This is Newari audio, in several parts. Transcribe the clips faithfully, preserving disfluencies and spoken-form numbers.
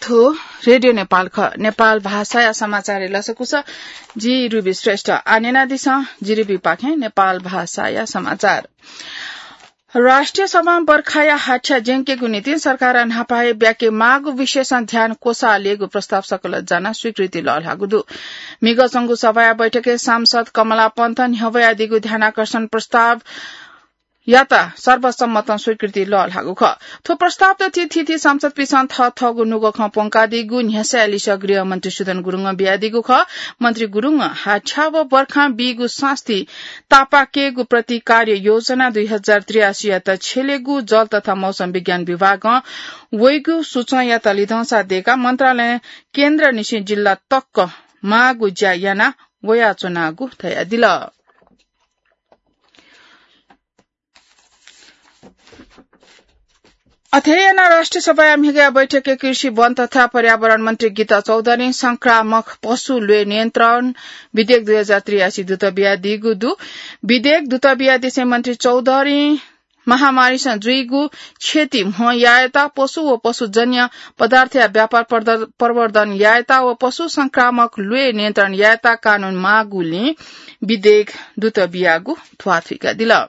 थ्व रेडियो नेपाल खः। नेपाल भाषाया समाचारय् लसकुस। जि रुबी श्रेष्ठ। आः न्यनादिसँ जि रुबीपाखें नेपाल भाषाया समाचार। राष्ट्रिय सभां बर्खाया हाछ्या ज्यंकेगु निंतिं सरकारं न्हापा हे ब्याके माःगु विषयसं ध्यान क्वसाः ल्ययेगु प्रस्ताव सकल जानाः स्वीकृति लःल्हाःगु दु। म्हिगः च्वंगु सभाया बैठकय् सांसद कमला पन्थं न्ह्यब्वयादीगु ध्यानाकर्षण प्रस्ताव यात सर्वसम्मतं स्वीकृति लःल्हाःगु खः। थ्व प्रस्तावत थीथी सांसदपिन्सं थःथःगु नुगः खँ प्वंकादीगु न्ह्यसःया लिसः गृहमन्त्री सुदन गुरुङं बियादीगु खः। मन्त्री गुरुङं हाछ्या व बर्खां बीगु सास्ती तापाकेगु प्रतिकार्य योजना दुई हजार त्रियासीयात छ्यलेगु जल तथा मौसम विज्ञान विभागं वइगु सूचं यात लिधंसा दय्काः मन्त्रालयं केन्द्रनिसें जिल्ला तक माःगु ज्या याना वयाच्वनागु धयादिल। अथे यानाः राष्ट्रिय सभाया म्हिगःया बैठकय् कृषि, वन तथा पर्यावरण मन्त्री गीता चौधरीं संक्रामक पशु ल्वय् नियन्त्रण विधेयक दुई हजार त्रियासी दुत बियादीगु दु। विधेयक दुत बियादिसें मन्त्री चौधरीं महामारीसं जुइगु क्षति म्हो यायेत, पशु व पशुजन्य पदार्थया व्यापार प्रद-, प्रवर्धन यायेत व पशु संक्रामक ल्वय् नियन्त्रण यायेत कानून माःगुलिं विधेयक दुत बियागु ध्वाथुइकादिल।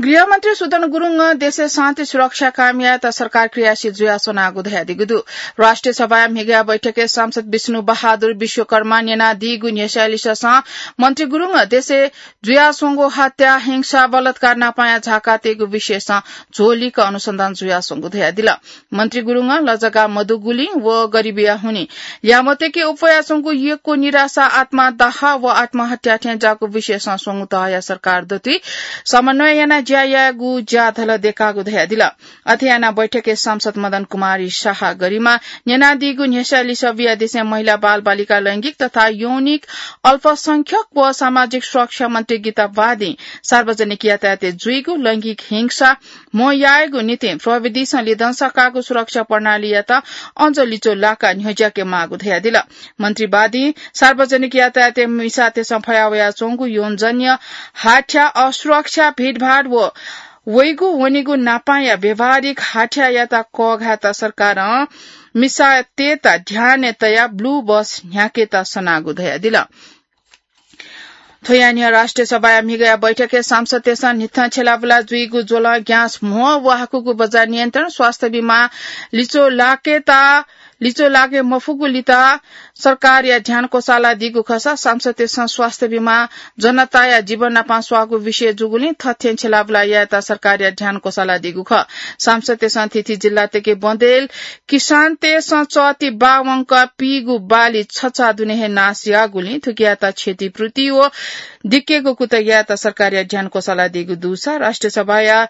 गृहमन्त्री सुदन गुरुङं देशय् शान्ति सुरक्षा कायम यायेत सरकार क्रियाशील जुयाच्वनागु धयादीगु दु। राष्ट्रिय सभाया म्हिगःया बैठकय् सांसद विष्णु बहादुर विश्वकर्मां न्यनादीगु न्ह्यसःया लिससं मन्त्री गुरुङं देशय् जुयाच्वंगु हत्या, हिंसा, बलात्कार नापांया झाकातयेगु विषयसं झ्वलिक अनुसन्धान जुयाच्वंगु धयादिल। मन्त्री गुरुङं लजगाः मदुगुलिं व गरिबीया हुनिं ल्यामतय्के उप्वयाच्वंगु यक्व निराशा, आत्मदाह व आत्महत्या थें ज्याःगु विषयसं स्वंगू तहया सरकार दथुइ समन्वय यानाः ज्या यायेगु ज्याझ्वः दय्कागु धयादिल। अथे यानाः बैठकय् सांसद मदन कुमारी शाह गरिमां न्यनादीगु न्ह्यसःया लिसः बियादिसें महिला, बालबालिका, लैंगिक तथा यौनिक अल्पसंख्यक व सामाजिक सुरक्षा मन्त्री गीता बादिं सार्वजनिक यातायातय् जुइगु लैंगिक हिंसा म्हो यायेगु निंतिं प्रविधिसं लिधंसा काःगु सुरक्षा प्रणालीयात अझ लिच्वः लाकाः न्ह्यज्याके माःगु धयादिल। मन्त्री बादिं सार्वजनिक यातायातय् मिसातय्सं फयावयाच्वंगु यौनजन्य हाछ्या, असुरक्षा, भिडभाड व वइगु वनीगु नापांया व्यावहारिक हाछ्यायात कःघायेत सरकारं मिसातय्त ध्यानय् तयाः blue bus न्ह्याकेत सनागु धयादिल। थ्वया न्ह्यः राष्ट्रिय सभाया म्हिगःया बैठकय् सांसदतय्सं न्हिथं छ्यलाबुला जुइगु ज्वलं ग्यास म्हो व हाकुगु बज्या नियन्त्रण, स्वास्थ्य बीमा लिच्वः लाकेत, लिच्वः लाके मफुगु लिपा सरकारया ध्यान क्वसालादीगु खःसा सांसदतय्सं स्वास्थ्य बीमा जनताया जीवन नाप स्वाःगु विषय जूगुलिं थथें छ्यलाबुला यायेत सरकारया ध्यान क्वसालादीगु खः। सांसदतय्सं थीथी जिल्लातय्के बँदेल किसानतय्सं चःति बावंक पीगु बाली छचा दुने हे नाश याःगुलिं थुकियात क्षतिपूर्ति व दिकेगु कुतः यायेत सरकारया ध्यान क्वसालादीगु दुसा राष्ट्रिय सभाया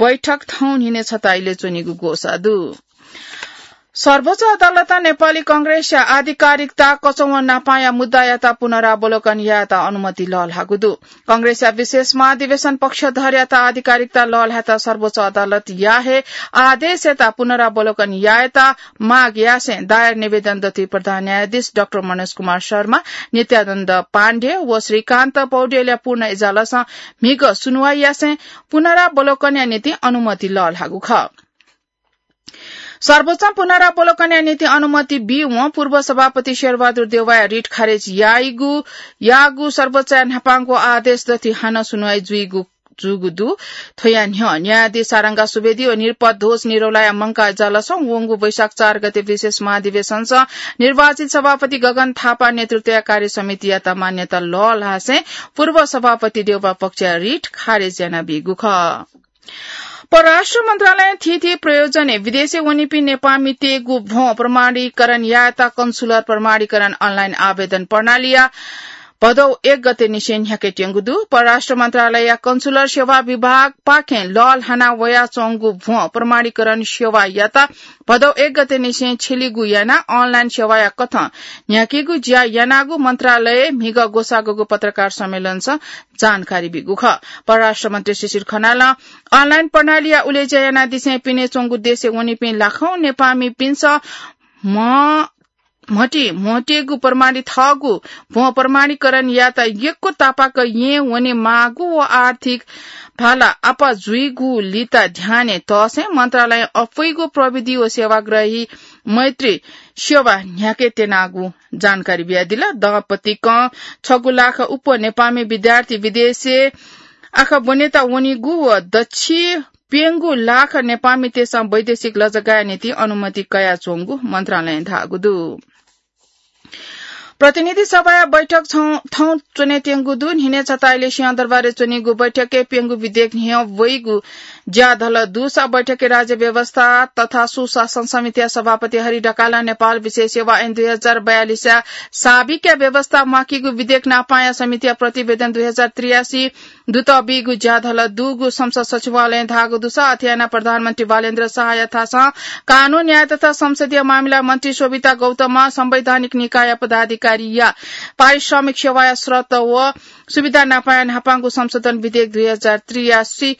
बैठक थौं न्हिनय् छता इलय् च्वनीगु ग्वसाः दु। सर्वोच्च अदालतं नेपाली कांग्रेसया आधिकारिकता कचंम्ह नापांया मुद्दायात पुनरावलोकन यायेत अनुमति लःल्हाःगु दु। कांग्रेसया विशेष महाधिवेशन पक्षधरयात आधिकारिकता लःल्हायेत सर्वोच्च अदालतया हे आदेशयात पुनरावलोकन यायेत माग यासें दायर निवेदन दथुइ प्रधान न्यायाधीश डाक्टर मनोज कुमार शर्मा, नित्यानन्द पाण्डेय व श्रीकान्त पौडेलया पूर्ण इजलासं म्हिगः सुनुवाइ यासें पुनरावलोकनया निंतिं अनुमति लःल्हाःगु खः। सर्वोच्चं पुनरावलोकनया निंतिं अनुमति बीवं पूर्व सभापति शेरबहादुर देउवाया रिट खारेज याइगु, याःगु सर्वोच्चया न्हापांगु आदेश दथुइ हानं सुनुवाइ जुइगु, जूगु दु। थ्वया न्ह्यः न्यायाधीश सारंगा सुवेदी व निरपद ध्वज निरौलाया मंकाः इजलासं वंगु वैशाख चार गते विशेष महाधिवेशनसं निर्वाचित सभापति गगन थापा नेतृत्वया कार्य समितियात मान्यता लःल्हासें पूर्व सभापति देउवा पक्षया रिट खारेज यानाबीगु खः। परराष्ट्र मन्त्रालयं थीथी प्रयोजनय् विदेशय् वनीपिं नेपाःमितय्गु भ्वं प्रमाणीकरण यायेत कन्सुलर प्रमाणीकरण अनलाइन आवेदन प्रणालीया भदौ एक गते निसें न्ह्याकेत्यंगु दु। परराष्ट्र मन्त्रालयया कन्सुलर सेवा विभागपाखें लःल्हाना वयाच्वंगु भ्वं प्रमाणीकरण सेवायात भदौ एक गते निसें छ्यलीगु यानाः अनलाइन सेवाया कथं न्ह्याकेगु ज्या यानागु मन्त्रालयय् म्हिगः ग्वसाःगु पत्रकार सम्मेलनसं जानकारी बीगु खः। परराष्ट्र मन्त्री शिशिर खनालं अनलाइन प्रणालीया उलेज्या यानादिसें पिने च्वंगु देशय् वनीपिं लाखौं नेपाःमिपिन्सं म्ह म्हटी म्हटेगु प्रमाणित थःगु भ्वं प्रमाणीकरण यात यक्व तापाक यें वने माःगु व आर्थिक भाला आपा जुइगु लिता ध्याने तःसें मन्त्रालयं अप्वइगु प्रविधि व सेवाग्राही मैत्री सेवा न्ह्याके त्यनागु जानकारी बियादिल। दम्पतिकं छगू लाख उप नेपामी विद्यार्थी विदेशे आखा ब्वनेत वनीगु व दच्छि प्यंगू लाख नेपामीतय्सं वैदेशिक लजगाःया निंतिं अनुमति कयाच्वंगु मन्त्रालयं धाःगु दु। प्रतिनिधि सभाया बैठक छौं, थौं च्वनेत्यंगु दु। न्हिनय् छताइले सिंहदरबारय् च्वनीगु बैठकय् प्यंगू विधेयक न्ह्यः वइगु ज्या धल दुसा बैठकय् राज्य व्यवस्था तथा सुशासन समितिया सभापति हरि ढकालं नेपाल विशेष सेवा ऐन दुई हजार बयालिसया साबिकया व्यवस्था म्वाकीगु विधेयक नापांया समितिया प्रतिवेदन दुई हजार त्रियासी दुत बीगु ज्या धल दुगु संसद सचिवालयं धाःगु दुसा अथे यानाः प्रधानमन्त्री बालेन्द्र शाहया थासं कानून, न्याय तथा संसदीय मामिला मन्त्री शोभिता गौतमं संवैधानिक निकायया पदाधिकारीया पारिश्रमिक सेवाया शर्त व सुविधा नापांया न्हापांगु संशोधन विधेयक दुई हजार त्रियासी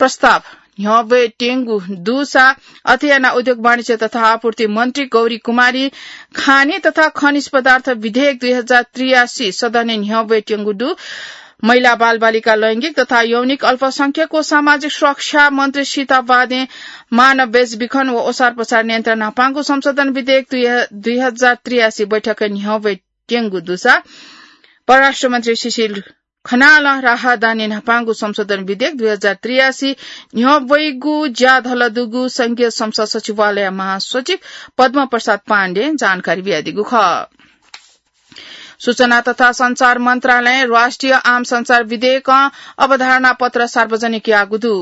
प्रस्ताव न्ह्यब्वयेत्यंगु दुसा अथे यानाः उद्योग वाणिज्य तथा आपूर्ति मन्त्री गौरी कुमारी खानी तथा खनिज पदार्थ विधेयक दुई हजार त्रियासी सदनय् न्ह्यब्वयेत्यंगु दु। महिला बालबालिका लैंगिक तथा यौनिक अल्पसंख्यक व सामाजिक सुरक्षा मन्त्री सीता बादें मानव बेचबिखन व ओसार पसार नियन्त्रण न्हापांगु संशोधन विधेयक दुई, दुई हजार त्रियासी बैठकय् न्ह्यब्वयेत्यंगु दुसा परराष्ट्र मन्त्री सुशील खनालं राहदानी न्हापांगु संशोधन विधेयक दुई हजार त्रियासी न्ह्यब्वइगु ज्या धल दुगु संघीय संसद सचिवालय महासचिव पद्म प्रसाद पाण्डें जानकारी बियादीगु खः। सूचना तथा सञ्चार मन्त्रालयं राष्ट्रिय आम सञ्चार विधेयकं अवधारणा पत्र सार्वजनिक याःगु दु।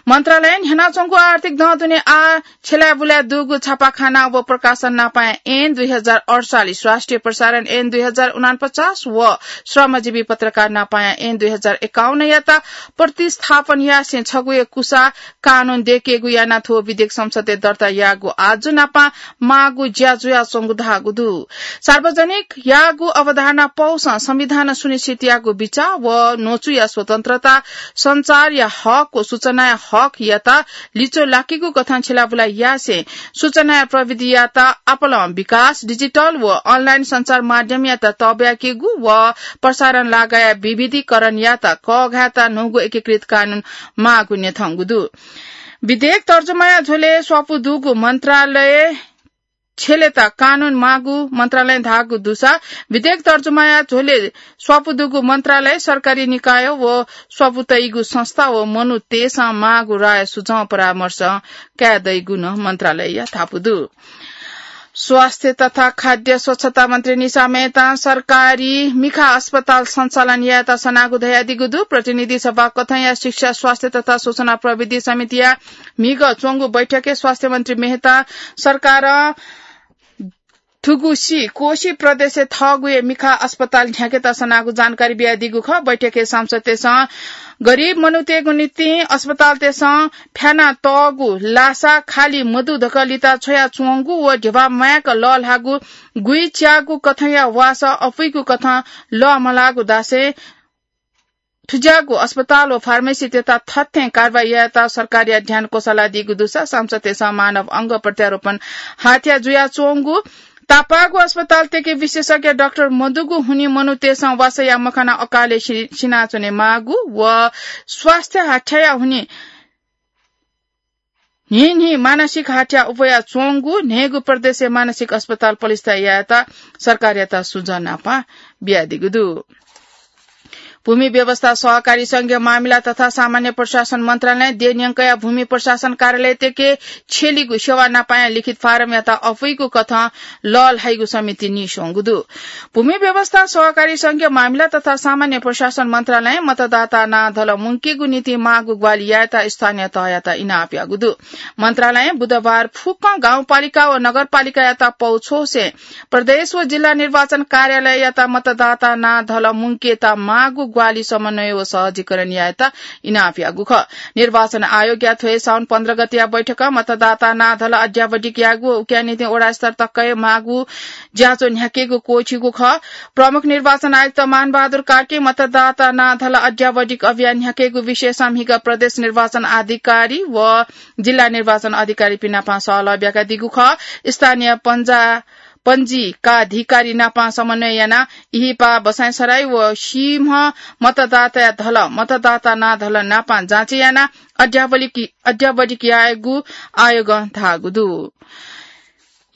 मन्त्रालयं न्ह्यानाच्वंगु आर्थिक दँ दुने आः छ्यलाय् बुलाय् दुगु छापाखाना व प्रकाशन नापांया ऐन दुई हजार अडचालिस, राष्ट्रिय प्रसारण ऐन दुई हजार उनापचास व श्रमजीवी पत्रकार नापांया ऐन दुई हजार एकाउन्नयात प्रतिस्थापन यासें छगू हे कुसा कानून दय्केगु यानाः थ्व विधेयक संसदय् दर्ता याःगु आजु नापं माःगु ज्या जुयाच्वंगु धाःगु दु। सार्वजनिक याःगु अवधारणा पौसं संविधानं सुनिश्चित याःगु बिचाः व न्वचुया स्वतन्त्रता, सञ्चारया हक व सूचनाया हकयात लिच्वः लाकीगु कथं छ्यलाबुला यासें सूचनाया प्रविधियात आपालं विकास, डिजिटल व अनलाइन सञ्चार माध्यमयात तःब्याकीगु व प्रसारण लागाया विविधीकरणयात कःघायेत न्हूगु एकीकृत कानून माःगु न्ह्यथंगु दु। विधेयक तर्जुमाया झ्वलय् स्वापू दुगु मन्त्रालय छ्यलेत कानून माःगु मन्त्रालयं धाःगु दुसा विधेयक तर्जुमाया झ्वलय् स्वापू दुगु मन्त्रालय सरकारी निकाय व स्वापू तइगु संस्था व मनूतय्सं माःगु राय सुझाव परामर्श काये दइगु नं मन्त्रालयया धापू दु। स्वास्थ्य तथा खाद्य स्वच्छता मन्त्री निशा मेहतां सरकारी मिखा अस्पताल सञ्चालन यायेत सनागु धयादीगु दु। प्रतिनिधि सभा कथंया शिक्षा, स्वास्थ्य तथा सूचना प्रविधि समितिया म्हिगः च्वंगु बैठकय् स्वास्थ्य मन्त्री मेहतां सरकारं थुगुसी कोशी प्रदेशय् थःगु हे मिखा अस्पताल न्ह्याकेत सनागु जानकारी बियादीगु खः। बैठकय् सांसदतय्सं गरिब मनूतय्गु निंतिं अस्पतालतय्सं फ्याना तःगु लासा खाली मदु धकाः लिता छ्वयाच्वंगु व ध्यबा म्वाय्क लःल्हाःगु गुइच्याःगु कथंया वासः अपुइगु कथं लःमलाःगु धासें थुज्याःगु अस्पताल व फार्मेसीतय्त थथें कारवाही यायेत सरकारया ध्यान क्वसालादीगु दुसा सांसदतय्सं मानव अंग प्रत्यारोपण हत्या जुयाच्वंगु तापाःगु अस्पतालतय्के विशेषज्ञ डाक्टर मदुगु हुनिं मनूतय्सं वासःया मखना अकालय् सि-, सिनाच्वने माःगु व स्वास्थ्य हत्याया हुनिं न्हिं न्हिं मानसिक हत्या अपुयाच्वंगु न्हय्गू प्रदेशय् मानसिक अस्पताल प्रतिष्ठा यायेत सरकारयात सुझाव नापं बियादीगु दु। भूमि व्यवस्था, सहकारी संघीय मामिला तथा सामान्य प्रशासन मन्त्रालयं देय् न्यंकया भूमि प्रशासन कार्यालयतय्के छ्यलीगु सेवा नापांया लिखित फारमयात अपुइगु कथं लःल्हाइगु समितिं नीस्वंगु दु। भूमि व्यवस्था, सहकारी संघीय मामिला तथा सामान्य प्रशासन मन्त्रालयं मतदाता नां धल मुंकेगु निंतिं माःगु ग्वाहालि यायेत स्थानीय तहयात इनाप याःगु दु। मन्त्रालयं बुधबार फुक्कं गाउँपालिका व नगरपालिकायात पौ छ्वसें प्रदेश व जिल्ला निर्वाचन कार्यालययात मतदाता नां धल मुंकेत माःगु ग्वाहालि समन्वय व सहजीकरण यायेत इनाप याःगु खः। निर्वाचन आयोगया थ्व हे साउन पन्ध्र गतेया बैठकं मतदाता नां धल अद्यावधिक यायेगु व उकिया निंतिं वडा स्तर तकय् माःगु ज्याझ्वः न्ह्याकेगु क्वःछिइगु खः। प्रमुख निर्वाचन आयुक्त मानबहादुर कार्कीं मतदाता नां धल अद्यावधिक अभियान न्ह्याकेगु विषयसं म्हिगः प्रदेश निर्वाचन अधिकारी व जिल्ला निर्वाचन अधिकारीपिं नाप सहलह ब्याकादीगु खः। स्थानीय पञ्जा-, पञ्जीकाधिकारी नापां समन्वय यानाः इहिपा बसाइँसराई व सिंह मतदाता धल, मतदाता ना धल नापां जाँच यानाः अद्यावधिक, अद्यावधिक यायेगु आयोगं धाःगु दु।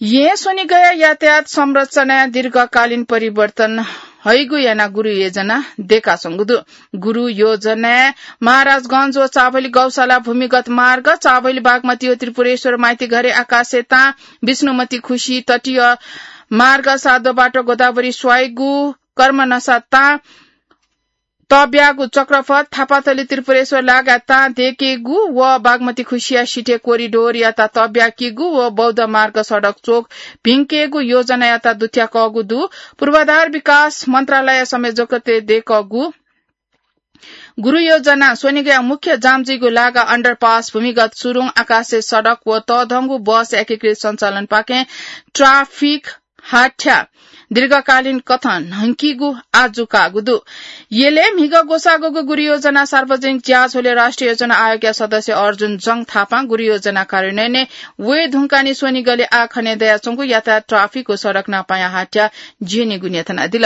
येँ स्वनिगया यातायात संरचनाय् दीर्घकालीन परिवर्तन हइगु यानाः गुरु योजना दयेकाच्वंगु दु। गुरु योजनाय् महाराजगंज व चाभली गौशाला भूमिगत मार्ग, चाभली बागमती व त्रिपुरेश्वर माइतीघरे आकाशे तां, विष्णुमती खुसी तटीय मार्ग, साधो बाटो गोदावरी स्वाइगु, कर्मनसा तां, तब्यागु चक्रपथ, थापाथली त्रिपुरेश्वर लागाय् तां दयेकेगु व बागमती खुसिया सिथय् कोरिडोरयात तब्याकीगु व बौद्ध मार्ग सडक चोक भिंकेगु योजनायात दुथ्याकःगु दु। पूर्वाधार विकास मन्त्रालय संयोजकत्वय् दयेकःगु गुरु योजना स्वनिगया मुख्य जाम जुइगु लागा underpass, भूमिगत सुरुङ, आकाशे सडक व तःधंगु बस एकीकृत सञ्चालनपाखें traffic हाथ्या दीर्घकालीन कथं न्हंकीगु आजु काःगु दु। यलय् म्हिगः ग्वसाःगु गुरु योजना सार्वजनिक ज्याझ्वलय् राष्ट्रिय योजना आयोगया सदस्य अर्जुन जंग थापां गुरु योजना कार्यान्वयनय् वये धुंकाः निं स्वनिगलय् आः खने दयाच्वंगु यातायात, traffic व सडक नापांया हाथ्या ज्यनीगु न्ह्यथनादिल।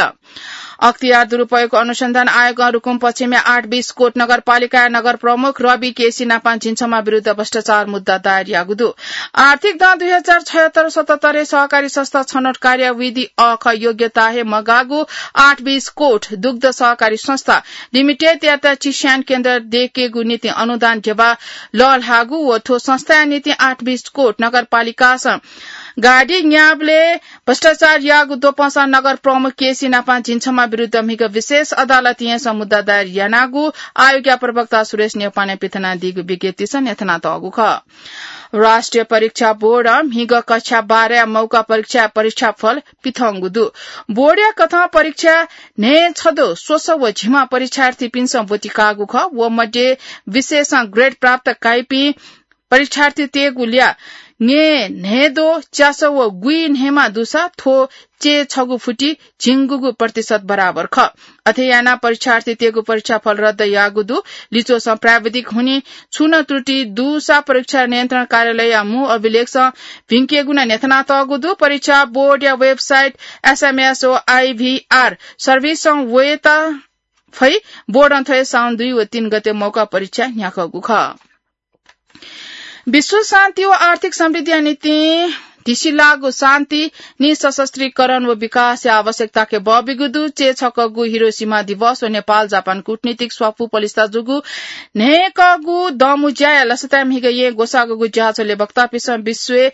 अख्तियार दुरुपयोगको अनुसन्धान आयोगं रुकुम पश्चिमया आठ बिस कोट नगरपालिकाया नगर प्रमुख रवि केसी नापां झिंछम्ह विरुद्ध भ्रष्टाचार मुद्दा दायर याःगु दु। आर्थिक दँ दुई हजार छयत्तर सतहत्तरय् सहकारी संस्था छनौट कार्यविधि अःखः योग्यता हे मगाःगु आठ बिस कोट दुग्ध सहकारी संस्था लिमिटेडयात चिस्यान केन्द्र दयेकेगु निंतिं अनुदान ध्यबा लःल्हाःगु व थ्व संस्थाया निंतिं आठ बिस कोट नगरपालिकासं गाडी न्याःबलय् भ्रष्टाचार याःगु द्वपंसां नगर प्रमुख केसी नापां झिंछम्ह विरुद्ध म्हिगः विशेष अदालतय् येँसं मुद्दा दायर यानागु आयोगया प्रवक्ता सुरेश न्यौपाने पिथनादीगु विज्ञप्तिसं न्ह्यथनातःगु खः। राष्ट्रिय परीक्षा बोर्डं म्हिगः कक्षा बाह्रया मौका परीक्षा परीक्षाफल पिथंगु दु। बोर्डया कथं परीक्षा न्हय्छदँ स्वसः व झिम्ह परीक्षार्थीपिन्सं ब्वति काःगु खः। व मध्ये विशेषं grade प्राप्त काइपिं परीक्षार्थीतय्गु ल्याः न्हय्दँ च्यासः व गुइ न्हय्मा दुसा थ्व चय्छगू फुति झिंगुगू प्रतिशत बराबर खः। अथे यानाः परीक्षार्थीतय्गु परीक्षाफल रद्द याःगु दु। लिच्वसं प्राविधिक हुनिं छुं नं त्रुटि दुसा परीक्षा नियन्त्रण कार्यालयया मू अभिलेखसं भिंकेगु नं न्ह्यथनातःगु दु। परीक्षा बोर्डया website, SMS व IVR service-ं वयेत फइ। बोर्डं थ्व हे साउन दुई व तीन गते मौका परीक्षा न्ह्याकःगु खः। विश्व शान्ति व आर्थिक समृद्धिया निंतिं धिसिलाःगु शान्ति, निःशस्त्रीकरण व विकासया आवश्यकताके बःबिगु दु। चय्छकःगु हिरोसिमा दिवस व नेपाल जापान कूटनीतिक स्वापू पलिस्था जूगु न्हय्कःगु दँमुँज्याया लसताय् म्हिगः येँ ग्वसाःगु ज्याझ्वलय् वक्तापिन्सं विश्वय्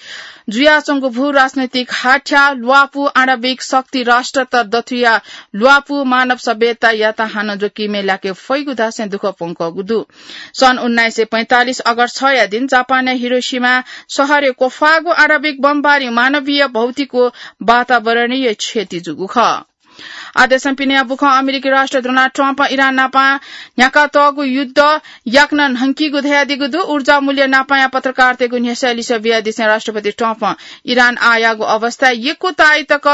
जुयाच्वंगु भू राजनैतिक हाथ्या, ल्वापु, आणविक शक्ति, राष्ट्रत दथुया ल्वापु, मानव सभ्यतायात हानं जोखिमय् लाके फइगु धासें दुःख प्वंकःगु दु। सन् उन्नाइस सय पैंतालिस अगस्त छया दिं जापानया हिरोसिमा शहरय् क्वफाःगु आणविक बमबारी मानवीय, भौतिक व वातावरणीय क्षति जूगु खः। आदेशं पिने बुखं अमेरिकी राष्ट्रपति डोनाल्ड ट्रम्पं इरान नापं न्ह्याकातःगु युद्ध याकनं न्हंकीगु धयादीगु दु। ऊर्जा मूल्य नापंया पत्रकारतय्गु न्ह्यसःया लिसः बियादिसें राष्ट्रपति ट्रम्पं इरान आःयाःगु अवस्थाय् यक्व ताःई तक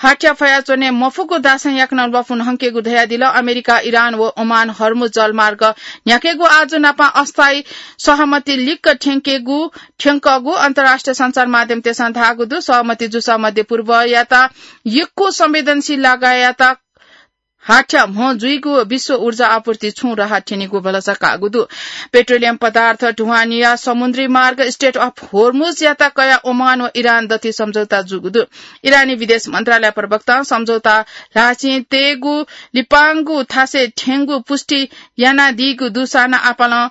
हाथ्या फयाच्वने मफुगु धासें याकनं ल्वापु न्हंकेगु धयादिल। अमेरिका, इरान व ओमान हर्मुज जलमार्ग न्ह्याकेगु आजु नापं अस्थायी सहमति लिक्क थ्यंकेगु, थ्यंकःगु अन्तर्राष्ट्रिय सञ्चार माध्यमतय्सं धाःगु दु। सहमति जूसा मध्य पूर्वयात यक्व संवेदनशील लागायात हाथ्या म्ह जुइगु, विश्व ऊर्जा आपूर्ति छुं राहत थ्यनीगु भलसा काःगु दु। पेट्रोलियम पदार्थ ढुवानीया समुद्री मार्ग Strait of Hormuz-यात कयाः ओमान व इरान दथुइ सम्झौता जूगु दु। इरानी विदेश मन्त्रालय प्रवक्तां सम्झौता ल्हाःचिं तयेगु लिपांगु थासय् थ्यंगु पुष्टि यानादीगु दुसां आपालं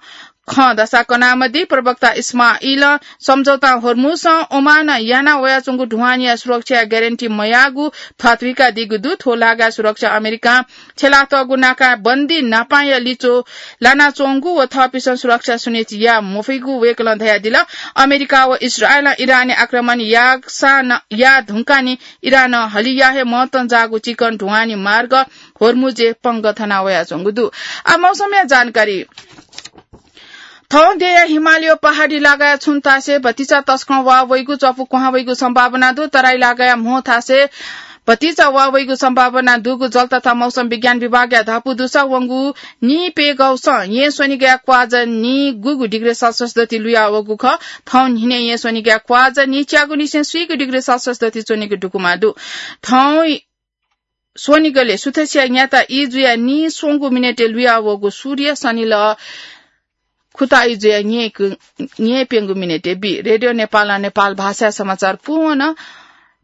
खँ दसा कनामदी। प्रवक्ता इस्माइलं सम्झौतां होर्मुजं ओमानं याना वयाच्वंगु ढुवानीया सुरक्षाया ग्यारेन्टी मयाःगु थ्वाथुइकादीगु दु। थ्व लागाय् सुरक्षा अमेरिकां छ्यलातःगु नाकाय् बन्दी नापांया लिच्वः लानाच्वंगु व थःपिन्सं सुरक्षा सुनिश्चित याये मफइगु वय्कलं धयादिल। अमेरिका व इस्राएलं इरानय् आक्रमण याःसां न-, याये धुंकाः नि इरानं हलिया हे मतं जाःगु चिकन ढुवानी मार्ग होर्मुजय् पंगः थना वयाच्वंगु दु। आ, मौसमया जानकारी। थौं देय्या हिमालय पहाडी लागाय् छुं थासय् भतिचा तसकं वा वइगु, च्वपु क्वहां वइगु सम्भावना दु। तराई लागाय् म्हो थासय् भतिचा वा वइगु सम्भावना दुगु जल तथा मौसम विज्ञान विभागया धापू दुसा। वंगु नीप्यघौसं येँ स्वनिगया क्वाज नीगुगु डिग्री सेल्सियस दति लुया वःगु खः। थौं न्हिने येँ स्वनिगया क्वाज नीच्यागु निसें स्वीगु डिग्री सेल्सियस दति च्वनेगु दुकुमा दु। थौं स्वनिगले सुथसिया न्याता ई जुया नीस्वंगु मिनेटय् लुया वःगु सूर्य सनिलः खुता ई जुया न्येक-, न्येप्यंगु मिनेटय् बी। रेडियो नेपालं नेपाल भाषाया समाचार पूवन।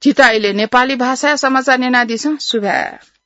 झीत इलय् नेपाली भाषाया समाचार न्यनादिसँ। सुभाय्।